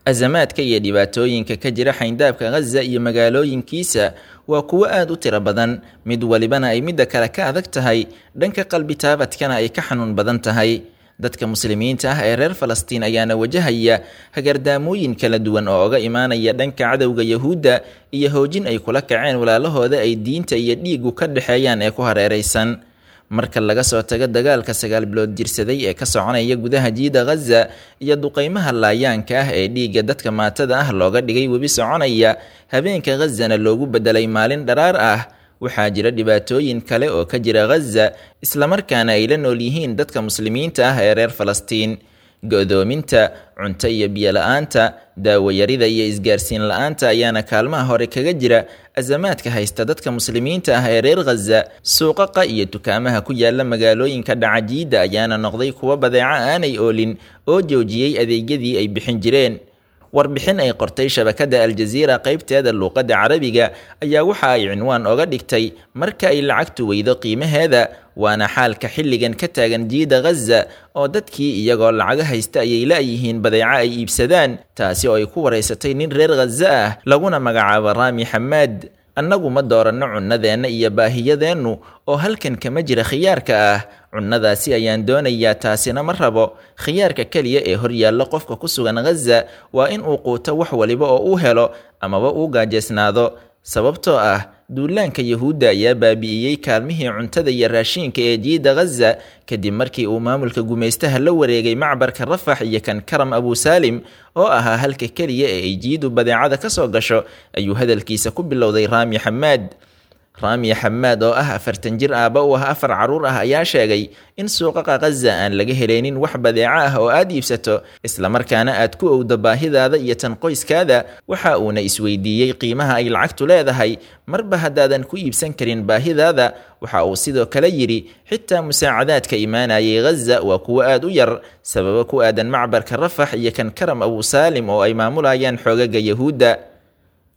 Azamaadka iyo dhibaatooyinka ka jira xayndaabka Ghaza iyo magaalooyinkiisa waa kuwo aad u tiro badan, mid walibana ay midda kale ka adag tahay, dhanka qalbi taabadkana ay ka xanuun badan tahay. Dadka muslimiinta ah ee reer Falastiin ayaana wajahaya hagardaamooyin kala duwan oo oga imaanaya dhanka cadowga Yahuudda iyo hoojin ay kula kaceen walaalahooda ay diinta iyo dhiiggu ka dhexeeyaan ee ku hareeraysan. Marka laga soo tago dagaalka 9 bilood jirsaday ee ka soconaya gudaha jiida Ghaza iyo duqeymaha laayaanka ah ee dhiigga dadka maatada ah looga dhigay webi soconaya, habeenka Ghazana loogu bedelay maalin dharaar ah, waxaa jira dhibaatooyin kale oo ka jira Ghaza islamarkaana ay la nool yihiin dadka muslimiinta ah ee reer Falastiin. Go'doominta, cunto iyo biyo la'aanta, daawo yarida iyo isgaarsiin la'aanta ayaana kaalmaha hore kaga jira azamaadka haysta dadka muslimiinta ah ee reer Ghaza. Suuqaqa iyo dukaamaha ku yaala magaalooyinka dhaca jiida ayaana noqday kuwo badeeco aanay oolin oo joojiyey adeegyadii ay bixin jireen. Warbixin ay qortay shabakadda Aljaziira qaybteeda luuqadda Carabiga ayaa waxa ay cinwaan oga dhigtay marka ay lacagtu weydo qiimaheeda, waana xaalka xilligan ka taagan jiida Ghaza oo dadkii iyagoo lacaga haysta ayay la'yihiin badeeco ay iibsadaan, taasi oo ay ku wareysatay nin reer Ghaza ah laguna magacaabo Raami Xamaad. Annagu ma dooranno cunnadeenna iyo baahiyadeennu oo halkan kama jira khiyaarka ah. Cunnadaasi ayaan doonayaa, taasina ma rabo. Khiyaarka keliya ee hor yaalla qofka ku sugan Ghaza waa in uu quuto wax waliba oo uu helo amaba uu gaajeysnaado, sababtoo ah duulaanka Yahuudda ayaa baabi'iyey kaalmihii cuntada iyo raashinka ee jiida Ghaza kadib markii uu maamulka gumaystaha la wareegay macbarka Rafax iyo kan Karam Abu Saalim oo ahaa halka keliya ee ay jiidu badeecada ka soo gasho, ayuu hadalkiisa ku bilowday Raami Xamaad. Raami Xamaad oo ah 40 jir aabba u ah 4 carruur ah ayaa sheegay in suuqaqa Ghaza aan laga helaynin wax badeeco ah oo aad iibsato, islamarkaana aad ku owdo baahidaada iyo tan qoyskaada. Waxa uuna isweydiiyey qiimaha ay lacagtu leedahay marba haddaadan ku iibsan karin baahidaada. Waxa uu sidoo kale yidhi xitaa musaacadaadka imaanayay Ghaza waa kuwo aad u yar, sababo ku aadan macbarka Rafax iyo kan Karam Abu Saalim oo ay maamulayaan xoogaga Yahuudda.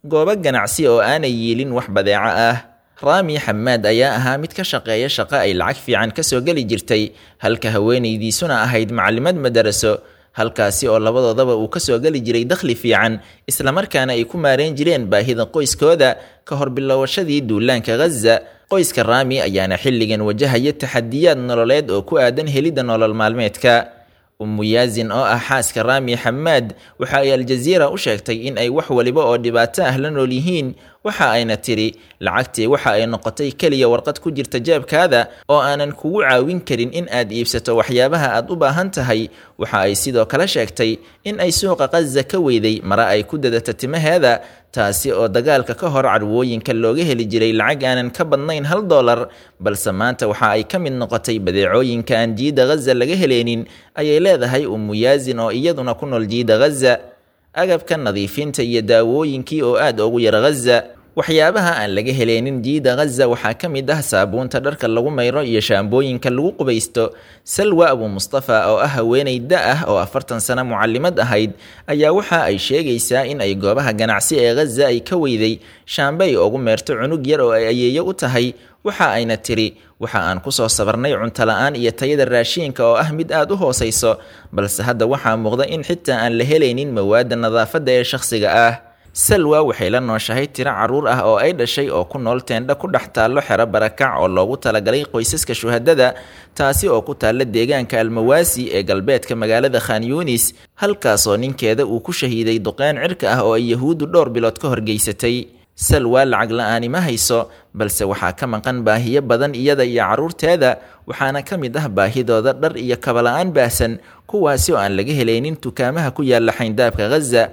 Goobo ganacsi oo aanay yiilin wax badeeco ah. Raami Xamaad ayaa ahaa mid ka shaqeeya shaqo ay lacag fiican ka soo geli jirtay, halka haweenaydiisuna ahayd macallimad madaraso, halkaasi oo labadoodaba uu ka soo geli jiray dakhli fiican, islamarkaana ay ku maareen jireen baahida qoyskooda ka hor bilowashadii duulaanka Ghaza. Qoyska Raami ayaana xilligan wajahaya taxadiyaad nololeed oo ku aadan helidda nolol maalmeedka. Ummu Yaazin oo ah xaaska Raami Xamaad waxa ay Aljaziira u sheegtay in ay wax waliba oo dhibaato ah la nool yihiin. Waxa ayna tiri lacagtii waxa ay noqotay keliya warqad ku jirta jeebkaada oo aanan kugu caawin karin in aad iibsato waxyaabaha aad u baahan tahay. Waxa ay sidoo kale sheegtay in ay suuqa Ghaza ka weyday mara ay ku dadato timaheeda, taasi oo dagaalka ka hor carwooyinka looga heli jiray lacag aanan ka badnayn $1, balse maanta waxa ay ka mid noqotay badeecooyinka aan jiida Ghaza laga heleynin, ayay leedahay Ummu Yaazin oo iyaduna ku nool jiida Ghaza. Agabka nadiifinta iyo daawooyinkii oo aad ugu yar Ghaza. Waxyaabaha aan laga heleynin jiida Ghaza waxaa ka mid ah saabuunta dharka lagu mayro iyo shaambooyinka lagu qubaysto. Salwa Abu Mustafa oo ah haweeney da ah oo 40 sano mucallimad ahayd ayaa waxa ay sheegaysaa in ay goobaha ganacsi ee Ghaza ay ka weyday shaambe ay ugu meerto cunug yar oo ay ayeeyo u tahay. Waxa ayna tiri waxa aan ku soo sabarnay cunto la'aan iyo tayada raashinka oo ah mid aad u hooseyso, balse hadda waxaa muuqda in xitaa aan la helaynin mawaadda nadaafadda ee shakhsiga ah. Salwa waxay la nooshahay tiro carruur ah oo ay dhashay oo ku nool teendho ku dhex taallo xero barakac oo loogu talagalay qoysaska shuhadada, taasi oo ku taalla deegaanka Almawaasi ee galbeedka magaalada Khan Yunis, halkaasoo ninkeeda uu ku shahiiday duqeyn cirka ah oo ay Yahuuddu dhowr bilood ka horgeysatay. Salwa lacag la'aani ma hayso, balse waxaa ka maqan baahiyo badan iyada iyo carruurteeda, waxaana ka mid ah baahidooda dhar iyo kaba la'aan baahsan, kuwaasi oo aan laga helaynin dukaamaha ku yaalla xayndaabka Ghaza.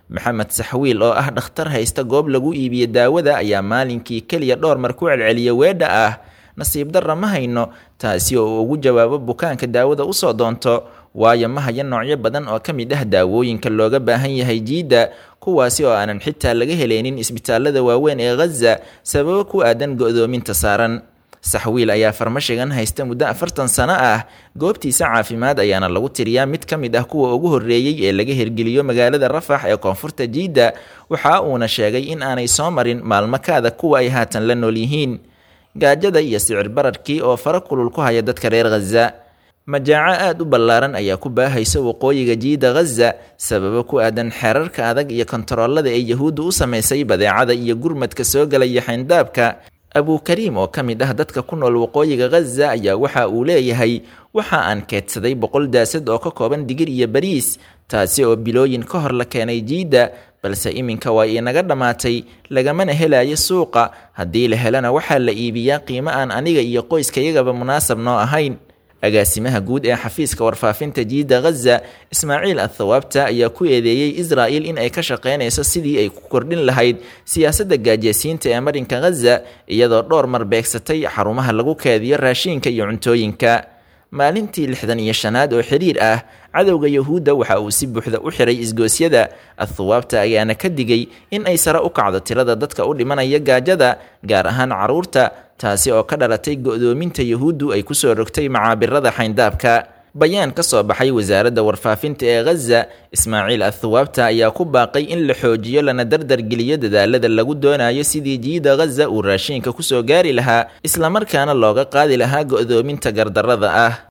Maxamed Saxwiil oo ah dhakhtar haysta goob lagu iibiyo daawada ayaa maalinkii keliya dhowr mar ku celceliya weedha ah nasiib darra ma hayno, taasi oo uu ugu jawaabo bukaanka daawada usoo doonto, waayo ma hayo noocyo badan oo ka mid ah daawooyinka looga baahan yahay jiidda, kuwaasi oo aanan xitaa laga helaynin isbitaalada waaweyn ee Ghaza sababo ku aadan go'doominta saaran. Saxwiil ayaa farmashigan haysta muddo 40 sano ah, goobtiisa caafimaad ayaana lagu tiriyaa mid ka mid ah kuwa ugu horreeyey ee laga hirgeliyo magaalada Rafax ee koonfurta jiidda. Waxa uuna sheegay in aanay soo marin maalmo kaada kuwa ay haatan la nool yihiin. Gaajada iyo sicir bararkii oo fara kulul ku haya dadka reer Ghaza. Majaaco aad u ballaaran ayaa ku baahaysa waqooyiga jiida Ghaza sababo ku aadan xeerarka adag iyo kontaroolada ay Yahuuddu u samaysay badeecada iyo gurmadka soo galaya xayndaabka. Abukariim oo ka mid ah dadka ku nool waqooyiga Ghaza ayaa waxa uu leeyahay: waxa aan keedsaday 100 daasad oo ka kooban digir iyo bariis, taasi oo bilooyin ka hor la keenay jiidda, balse iminka waa inaga dhammaatay, lagamana helayo suuqa. Haddii la helana waxaa la iibiyaa qiimo aan aniga iyo qoyskayagaba munaasab noo ahayn. Agaasimaha guud ee xafiiska warfaafinta jiidda Ghaza, Ismaaciil Athawaabta, ayaa ku eedeeyey Israa'il in ay ka shaqaynayso sidii ay ku kordhin lahayd siyaasadda gaajeysiinta ee marinka Ghaza, iyadoo dhowr mar beegsatay xarumaha lagu keediyo raashinka iyo cuntooyinka. Maalintii 65aad oo xiriir ah, cadowga Yahuudda waxa uu si buuxda u xiray isgoosyada. Athawaabta ayaana ka digay in ay sare u kacdo tirada dadka u dhimanaya gaajada, gaar ahaan carruurta, taasi oo ka dhalatay go'doominta Yahuuddu ay kusoo rogtay macaabirada xayndaabka. Bayaan ka soo baxay wasaaradda warfaafinta ee Ghaza, Ismaaciil Athawaabta ayaa ku baaqay in la xoojiyo lana dardargeliyo dadaalada lagu doonayo sidii jiida Ghaza uu raashinka kusoo gaari lahaa, islamarkaana looga qaadi lahaa go'doominta gardarrada ah.